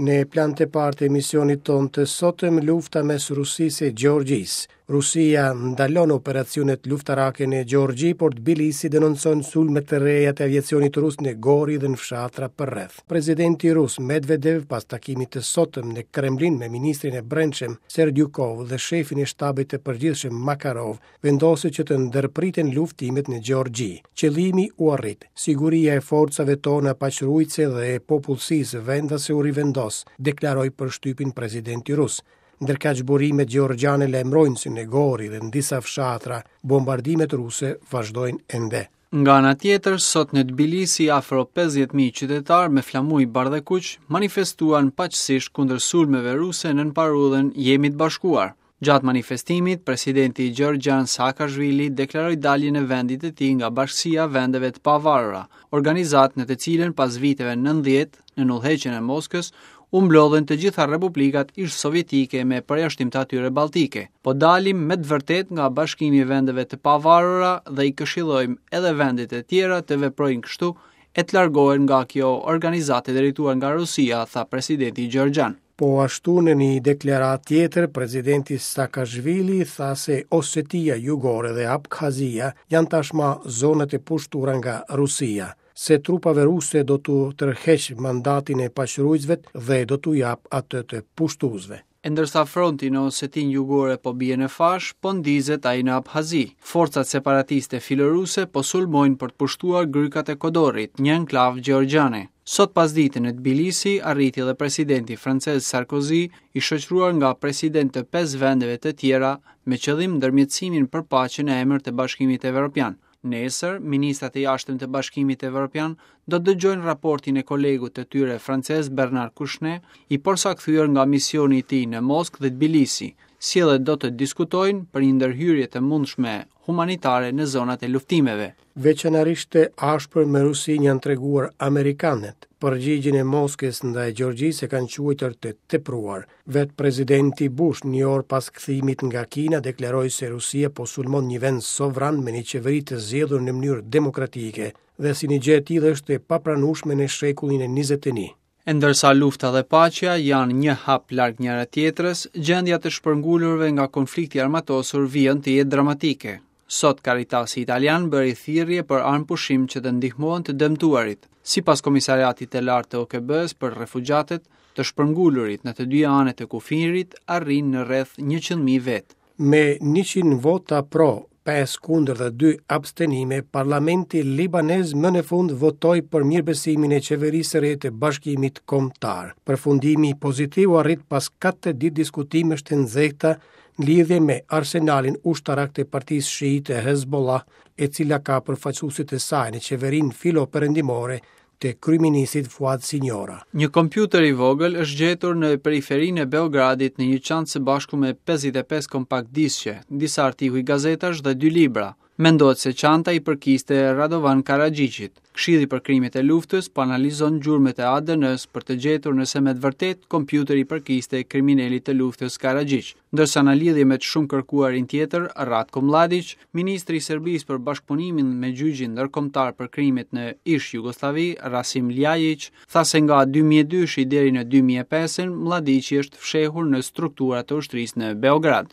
Në plan të parë të emisionit tonë të sotëm lufta mes Rusisë e Gjeorgjisë. Rusia ndalon operacionet luftarake në Gjeorgji, por Tbilisi denoncon sulme të reja të aviacionit rus në Gori dhe në fshatra përreth. Presidenti rus Medvedev pas takimit të sotëm në Kremlin me ministrin e Brendshëm Serdyukov dhe shefin e shtabit të përgjithshëm Makarov vendosi që të ndërpriten luftimet në Gjeorgji. Qëllimi u arrit. Siguria e forcave tona paqeruajtëse dhe e popullsisë vendase u rivendos, deklaroi për shtypin presidenti rus. Ndërkaq burimet gjeorgjiane lajmërojnë se në Gori dhe në disa fshatra, bombardimet ruse vazhdojnë ende. Nga ana tjetër, sot në Tbilisi afro 50.000 qytetarë me flamuj bardhekuq manifestuan paqësisht kundër sulmeve ruse nën parullën Jemi të bashkuar. Gjatë manifestimit, presidenti gjeorgjian Saakashvili deklaroi daljen e vendit të tij nga Bashkësia e Vendeve të Pavarura, organizatë në të cilën pas viteve 90, nën udhëheqjen e Moskës, u mblodhën të gjitha republikat ish-sovjetike me përjashtim të atyre baltike. Po dalim me të vërtetë nga Bashkimi i Vendeve të Pavarura dhe i këshillojmë edhe vendet e tjera të veprojnë kështu e të largohen nga kjo organizatë e drejtuar nga Rusia, tha presidenti gjeorgjian. Po ashtu në një deklaratë tjetër, presidenti Saakashvili tha se Osetia Jugore dhe Abkhazia janë tashmë zonat e pushtuara nga Rusia, se trupave ruse do t'u tërheqë mandatin e paqeruajtësve dhe do t'u japë atë të pushtuesve. E ndërsa fronti në Osetinë Jugore po bie në fashë, po ndizet ai në Abhazi. Forcat separatiste filoruse po sulmojnë për të pushtuar grykat e Kodorit, një enklavë gjeorgjiane. Sot pasdite në Tbilisi arriti edhe presidenti francez Sarkozy, i shoqëruar nga presidentë të pesë vendeve të tjera, me qëllim ndërmjetësimin për paqe në emër të Bashkimit Evropian. Nesër, ministrat e jashtëm të Bashkimit Evropian do të dëgjojnë raportin e kolegut të tyre francez Bernard Kouchner, i porsakthyer nga misioni i tij në Moskë dhe Tbilisi, si edhe do të diskutojnë për një ndërhyrje të mundshme humanitare në zonat e luftimeve. Veçanërisht të ashpër me Rusinë janë treguar amerikanët. Përgjigjen e Moskës ndaj Gjeorgjisë e kanë quajtur të tepruar. Vetë presidenti Bush, një orë pas kthimit nga Kina, deklaroi se Rusia po sulmon një vend sovran me një qeveri të zgjedhur në mënyrë demokratike dhe si një gjë e tillë është e papranueshme në shekullin e 21. E ndërsa lufta dhe paqja janë një hap larg njëra tjetrës, gjendja e të shpërngulurve nga konflikti i armatosur vijon të jetë dramatike. Sot Caritasi italian bëri thirrje për armëpushim që të ndihmohen të dëmtuarit. Sipas Komisariatit të Lartë të OKB-së për refugjatët, të shpërngulurit në të dyja anët e kufirit arrijnë në rreth 100.000 vetë. Me 100 vota pro, 5 kundër dhe 2 abstenime, parlamenti libanez më në fund votoi për mirëbesimin e qeverisë së re të Bashkimit Kombëtar. Përfundimi pozitiv u arrit pas 4 ditë diskutimesh të nxehta në lidhje me arsenalin ushtarak të partisë shiite Hezbollah, e cila ka përfaqësuesit e saj në qeverinë filo-perëndimore të kryeministrit Fuad Sinjora. Një kompjuter i vogël është gjetur në periferinë e Beogradit në një çantë së bashku me 55 kompakt disqe, disa artikuj gazetash dhe dy libra. Mendohet se çanta i përkiste Radovan Karaxhiqit. Këshilli për Krimet e Luftës po analizon gjurmët e ADN-së për të gjetur nëse me të vërtetë kompjuteri i përkiste kriminelit të luftës Karaxhiq. Ndërsa në lidhje me të shumëkërkuarin tjetër, Ratko Mlladiq, ministri i Serbisë për bashkëpunimin me gjyqin ndërkombëtar për krimet në ish-Jugosllavi, Rasim Ljajiq, tha se nga 2002-shi deri në 2005-ën, Mlladiqi është fshehur në strukturat e ushtrisë në Beograd.